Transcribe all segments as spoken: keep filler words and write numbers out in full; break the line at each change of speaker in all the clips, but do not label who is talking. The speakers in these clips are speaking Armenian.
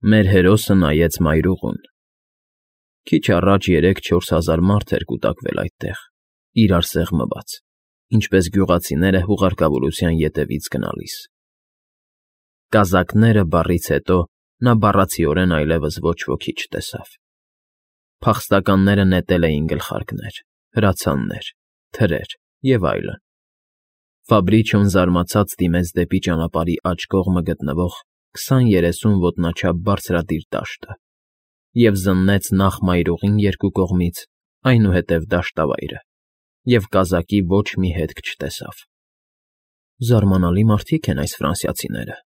Մեր հերոսը նայեց մայրուղուն։ Քիչ առաջ երեք֊չորս հազար մարդ էր կուտակվել այդտեղ, իրար սեղմված, ինչպես գյուղացիները հուղարկավորության ետևից գնալիս։ Կազակները բառից հետո նա բառացիորեն այլևս ոչ ոքի չտեսավ։ Փախստականները նետել էին գլխարկներ, հրացաններ, թրեր և այլն։ Ֆաբրիչոն զարմացած դիմեց դեպի ճանապարհի աջ կողմը գտնվող քսան֊երեսուն ոտնաչափ բարձրադիր դաշտը և զննեց նախ մայրուղին երկու կողմից, այնուհետև դաշտավայրը, և կազակի ոչ մի հետք չտեսավ։ «Զարմանալի մարդիկ են այս ֆրանսիացիները»,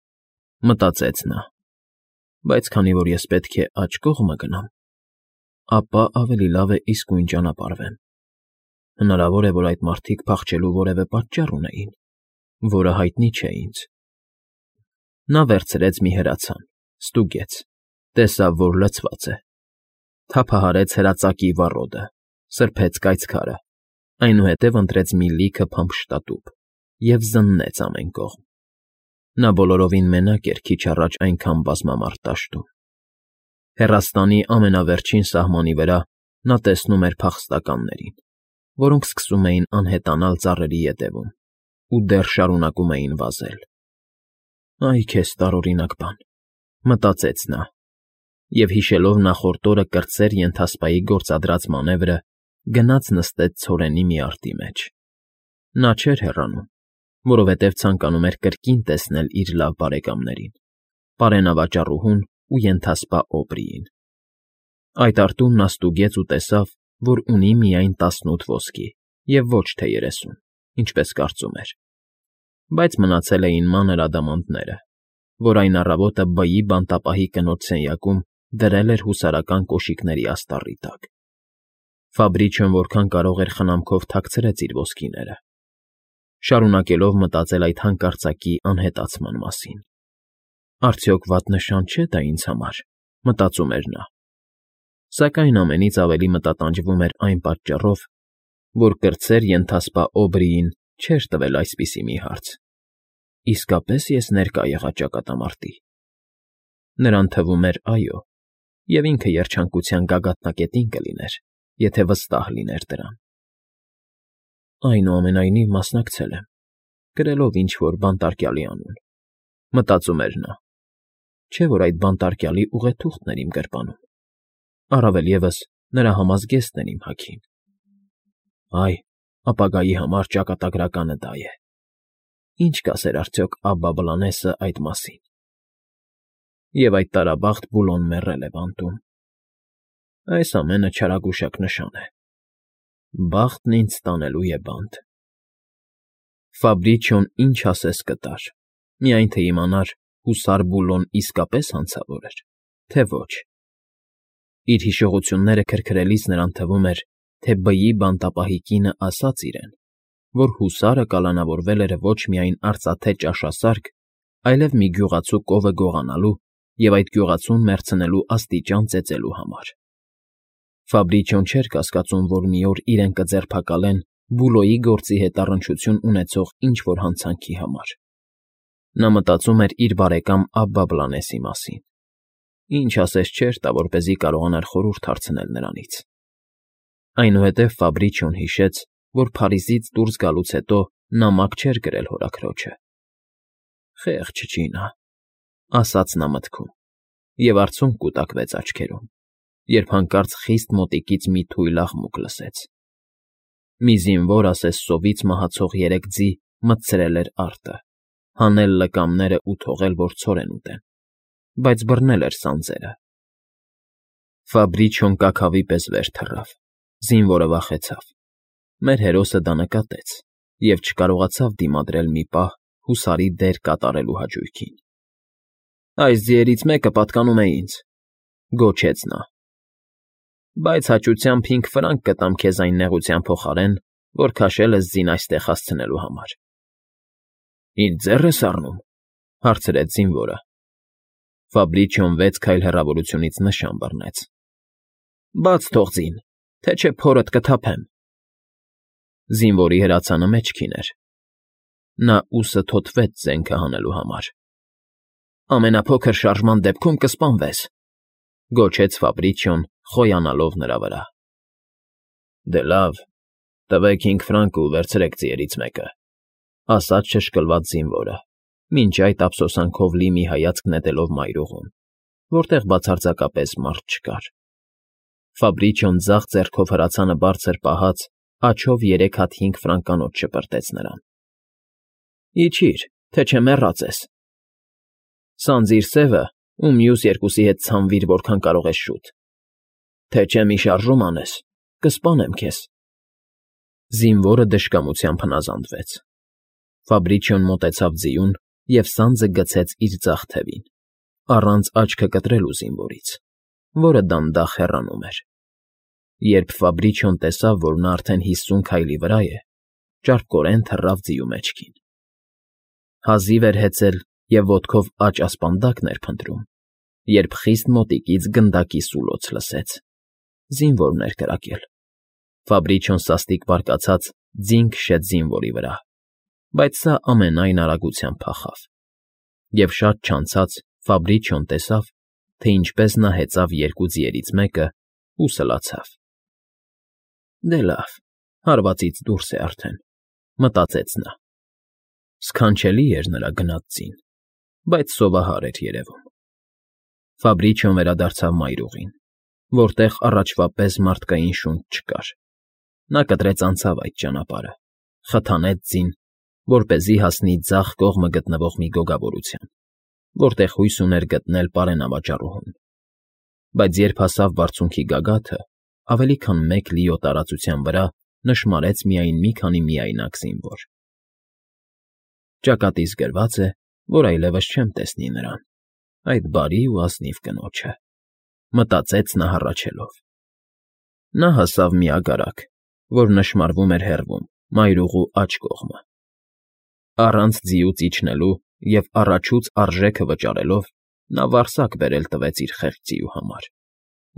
մտածեց նա, բայց քանի որ ես պետք է աջ կողմը գնամ, ապա ավելի լավ է իսկույն ճանապարհվեմ։ Հնարավոր է, որ այդ մարդիկ փախչելու որևէ պատճառ ունեին, որը հայտնի չէ ինձ։ Նա վերցրեց մի հրացան, ստուգեց, տեսավ, որ լցված է, թափահարեց հրածակի վառոդը, սրբեց կայծքարը, այնուհետև ընտրեց մի լիքը փամփշտատուփ և զննեց ամեն կողմ։ Նա բոլորովին մենակ էր քիչ առաջ այնքան բազմամարդ դաշտում։ Հեռաստանի ամենավերջին սահմանի վրա նա տեսնում էր փախստականներին, որոնք սկսում էին անհետանալ ծառերի ետևում ու դեռ շարունակում էին վազել։ «Այ քեզ տարօրինակ բան», մտածեց նա, և հիշելով նախորդ օրը կրտսեր ենթասպայի գործադրած մանևրը, գնաց նստեց ցորենի մի արտի մեջ։ Նա չէր հեռանում, որովհետև ցանկանում էր կրկին տեսնել իր լավ բարեկամներին՝ պարենավաճառուհուն ու ենթասպա Օբրիին։ Այդ արտում նա ստուգեց ու տեսավ, որ ունի միայն տասնութ ոսկի և ոչ թե երեսուն, ինչպես կարծում էր, բայց մնացել էին մանր ադամանդները, որ այն առավոտը բայի բանտապահի կնոջ սենյակում դրել էր հուսարական կոշիկների աստառի տակ։ Ֆաբրիչոն որքան կարող էր խնամքով թաքցրեց իր ոսկիները, շարունակելով մտածել այդ հանկարծակի անհետացման մասին։ «Արդյոք վատ նշան չէ՞ դա ինձ համար», մտածում էր նա, սակայն ամենից ավելի մտատանջվում էր այն պատճառով, որ կրտսեր ենթասպա Օբրիին չէր տվել այսպիսի մի հարց. իսկապե՞ս ես ներկա եղա ճակատամարտի։ Նրան թվում էր՝ այո, և ինքը երջանկության գագաթնակետին կլիներ, եթե վստահ լիներ դրան։ «Այնուամենայնիվ մասնակցել եմ, կրելով ինչ֊որ բանտարկյալի անուն», մտածում էր նա, չէ՞ որ այդ բանտարկյալի ուղեթուղթն էր իմ գրպանում, առավել ևս նրա համազգեստն էր իմ հագին։ Այ, ապագայի համար ճակատագրականը դա է։ Ինչ կասեր արդյոք Աբբա Բլանեսը այդ մասին։ Եվ այդ տարաբախտ Բուլոն մեռել է բանտում։ Այս ամենը չարագուշակ նշան է։ Բախտն ինձ տանելու է բանտ։ Ֆաբրիչոն ինչ ասես կտար, միայն թե իմանար՝ հուսար Բուլոն իսկապես հանցավոր էր, թե ոչ։ Իր հիշողությունները քրքրելիս նրան թվում էր, թե բայի բանտապահի կինը ասաց իրեն, որ հուսարը կալանավորվել էր ոչ միայն արծաթե ճաշասարք, այլև մի գյուղացու կովը գողանալու և այդ գյուղացուն մեռցնելու աստիճան ծեծելու համար։ Ֆաբրիչոն չէր կասկածում, որ մի օր իրեն կձերբակալեն Բուլոյի գործի հետ առնչություն ունեցող ինչ֊որ հանցանքի համար։ Նա մտածում էր իր բարեկամ Աբբա Բլանեսի մասին։ Ինչ ասես չէր տա, որպեսզի կարողանար խորհուրդ հարցնել նրանից։ Այնուհետև Ֆաբրիչոն հիշեց, որ Փարիզից դուրս գալուց հետո նամակ չէր գրել հորաքրոջը։ «Խեղճ ջինը», ասաց նա մտքում, և արցունք կուտակվեց աչքերում, երբ հանկարծ խիստ մոտիկից մի թույլ աղմուկ լսեց։ Մի զինվոր ասես սովից մահացող երեք ձի մտցրել էր արտը, հանել լկամներն ու թողել, որ ցորեն ուտեն, բայց բռնել էր սանձերը։ Ֆաբրիչոն կաքավի պես վեր թռավ, զինվորը վախեցավ։ Մեր հերոսը դա նկատեց և չկարողացավ դիմադրել մի պահ հուսարի դեր կատարելու հաճույքին։ «Այս ձիերից մեկը պատկանում է ինձ», գոչեց նա, «բայց հաճությամբ հինգ ֆրանկ կտամ քեզ այն նեղության փոխարեն, որ քաշել ես ձին այստեղ հասցնելու համար»։ «Ինձ ձեռ ես առնու՞մ», հարցրեց զինվորը։ Ֆաբրիչոն վեց քայլ հեռավորությունից նշան բռնեց։ «Բաց թող ձին, թե չէ փորդ կթափեմ»։ Զինվորի հրացանը մեջքին էր։ Նա ուսը թոթվեց զենքը հանելու համար։ ամենափոքր շարժման դեպքում կսպանվես,֊ գոչեց Ֆաբրիչիոն, խոյանալով նրա վրա։ Դե լավ, տվեք հինգ ֆրանկ ու վերցրեք ձիերից մեկը,֊ ասաց շշկլված զինվորը, մինչ այդ ափսոսանքով լի մի հայացք նետելով մայրուղուն, որտեղ բացարձակապես մարդ չկար։ Ֆաբրիչիոն ձախ ձեռքով հրացանը բարձր պահած, աջով երեք հատ հինգ ֆրանկանոց շպրտեց նրան։ Իջիր, թե չէ մեռած ես։ Սանձիր սևը ու մյուս երկուսի հետ ցանվիր, որքան կարող ես շուտ, թե չէ մի շարժում անես, կսպանեմ քեզ։ Զինվորը դժկամությամբ հնազանդվեց։ Ֆաբրիչիոն մոտեցավ ձիուն և սանձը գցեց իր ձախ թևին, առանց աչքը կտրելու զինվորից, որը դանդաղ հեռանում էր։ Երբ Ֆաբրիչիոն տեսավ, որ նա արդեն հիսուն քայլի վրա է, ճարպկորեն թռավ ձիու մեջքին։ Հազիվ էր հեծել և ոտքով աջ ասպանդակն էր փնտրում, երբ խիստ մոտիկից գնդակի սուլոց լսեց։ Զինվորն էր կրակել։ Ֆաբրիչիոն սաստիկ բարկացած ձին քշեց զինվորի վրա, բայց սա ամենայն արագությամբ փախավ։ Եվ շատ չանցած Ֆաբրիչիոն տեսավ, թե ինչպես նա հեծավ երկու ձիերից մեկը ու սլացավ։ Դե լավ, հարվածից դուրս է արդեն, մտածեց նա։ Սքանչելի էր նրա գնած ձին, բայց սովահար էր երևում։ Ֆաբրիչիոն վերադարձավ մայրուղին, որտեղ առաջվա պես մարդկային շունչ չկար։ Նա կտրեց անցավ այդ ճանապարհը, խթանեց ձին, որպեսզի հասնի ձախ կողմը գտնվող մի գոգավորության, որտեղ հույս ուներ գտնել պարենավաճառուհուն։ Բայց երբ հասավ բարձունքի գագաթը, ավելի քան մեկ լիո տարածության վրա նշմարեց միայն մի քանի միայնակ զինվոր։ Ճակատիս գրված է, որ այլևս չեմ տեսնի նրան, այդ բարի ու ազնիվ կնոջը, մտածեց նա հառաչելով։ Նա հասավ մի ագարակ, որ նշմարվում էր հեռվում, մայրուղու աջ կողմը։ Առանց ձիուց իջնելու և առաջուց արժեքը վճարելով, նա վարսակ բերել տվեց իր խեղճ ձիու համար,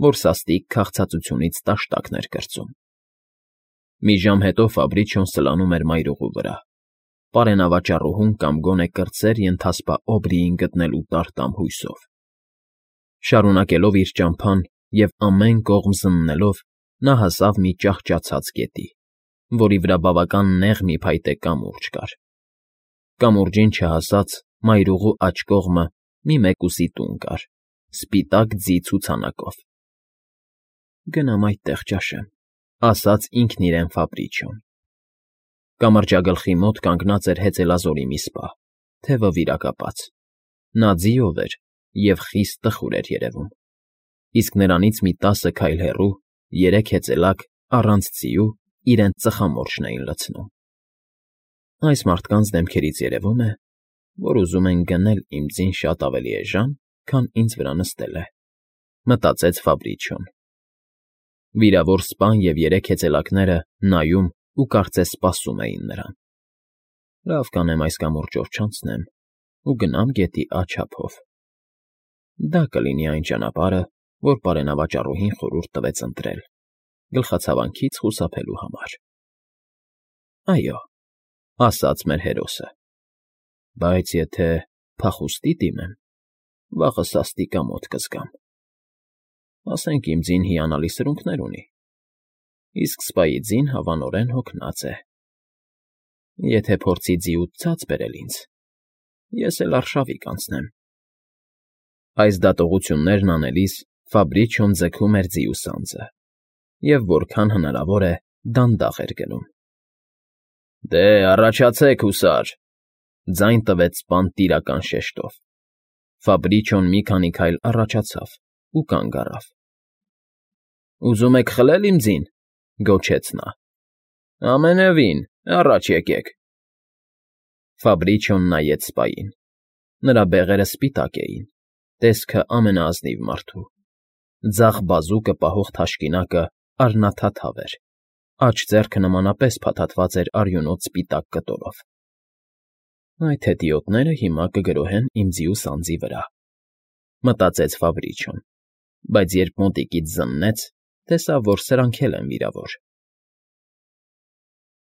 որ սաստիկ քաղցածությունից տաշտակն էր կրծում։ Մի ժամ հետո Ֆաբրիչիոն սլանում էր մայրուղու վրա, պարենավաճառուհուն կամ գոնե կրտսեր ենթասպա Օբրիին գտնելու տար֊տամ հույսով։ Շարունակելով իր ճամփան և ամեն կողմ զննելով, նա հասավ մի ճահճացած գետի, որի վրա բավական նեղ մի փայտե կամուրջ կար։ Կամուրջին չհասած, մայրուղու աջ կողմը մի մեկուսի տուն կար, սպիտակ ձի ցուցանակով։ Գնամ այդտեղ ճաշեմ, ասաց ինքն իրեն Ֆաբրիչիոն։ Կամրջագլխի մոտ կանգնած էր հեծելազորի մի սպա, թևը վիրակապած։ Նա ձիով էր և խիստ տխուր էր երևում, իսկ նրանից մի տասը քայլ հեռու երեք հեծելակ առանց ձիու իրենց ծխամորճն էին լցնում։ Այս մարդկանց դեմքերից երևում է, որ ուզում են գնել իմ ձին շատ ավելի էժան, քան ինձ վրա նստել է, մտածեց Ֆաբրիչիոն։ Վիրավոր սպան և երեք հեծելակները նայում ու կարծես սպասում էին նրան։ Լավ կանեմ այս կամուրջով չանցնեմ ու գնամ գետի աջ ափով։ Դա կլինի այն ճանապարհը, որ պարենավաճառուհին խորհուրդ տվեց ընտրել, գլխացավանքից խուսափելու համար։ Այո, ասաց մեր հերոսը, բայց եթե փախուստի դիմեմ, վաղը սաստիկ ամոթ կզգամ։ Ասենք իմ ձին հիանալի սրունքներ ունի, իսկ սպայի ձին հավանորեն հոգնած է։ Եթե փորձի ձիուց ցած բերել ինձ, ես էլ արշավի կանցնեմ։ Այս դատողություններն անելիս Ֆաբրիչիոն ձգում էր ձիու սանձը և որքան հնարավոր է դանդաղ էր գնում։ Դե, առաջացեք, հուսար,֊ ձայն տվեց սպան տիրական շեշտով։ Ֆաբրիչիոն մի քանի քայլ առաջացավ ու կանգ առավ։ Ուզում եք խլել իմ ձին,֊ գոչեց նա։ Ամենևին, առաջ եկեք։ Ֆաբրիչիոն նայեց սպային։ Նրա բեղերը սպիտակ էին, տեսքը ամենաազնիվ մարդու։ Ձախ բազուկը պահող թաշկինակը արնաթաթավ էր, աջ ձեռքը նմանապես փաթաթված էր արյունոտ սպիտակ կտորով։ Այդ հետիոտները հիմա կգրոհեն իմ ձիու սանձի վրա, մտածեց Ֆաբրիչիոն, բայց երբ մոտիկից զննեց, տեսավ, որ սրանք էլ են վիրավոր։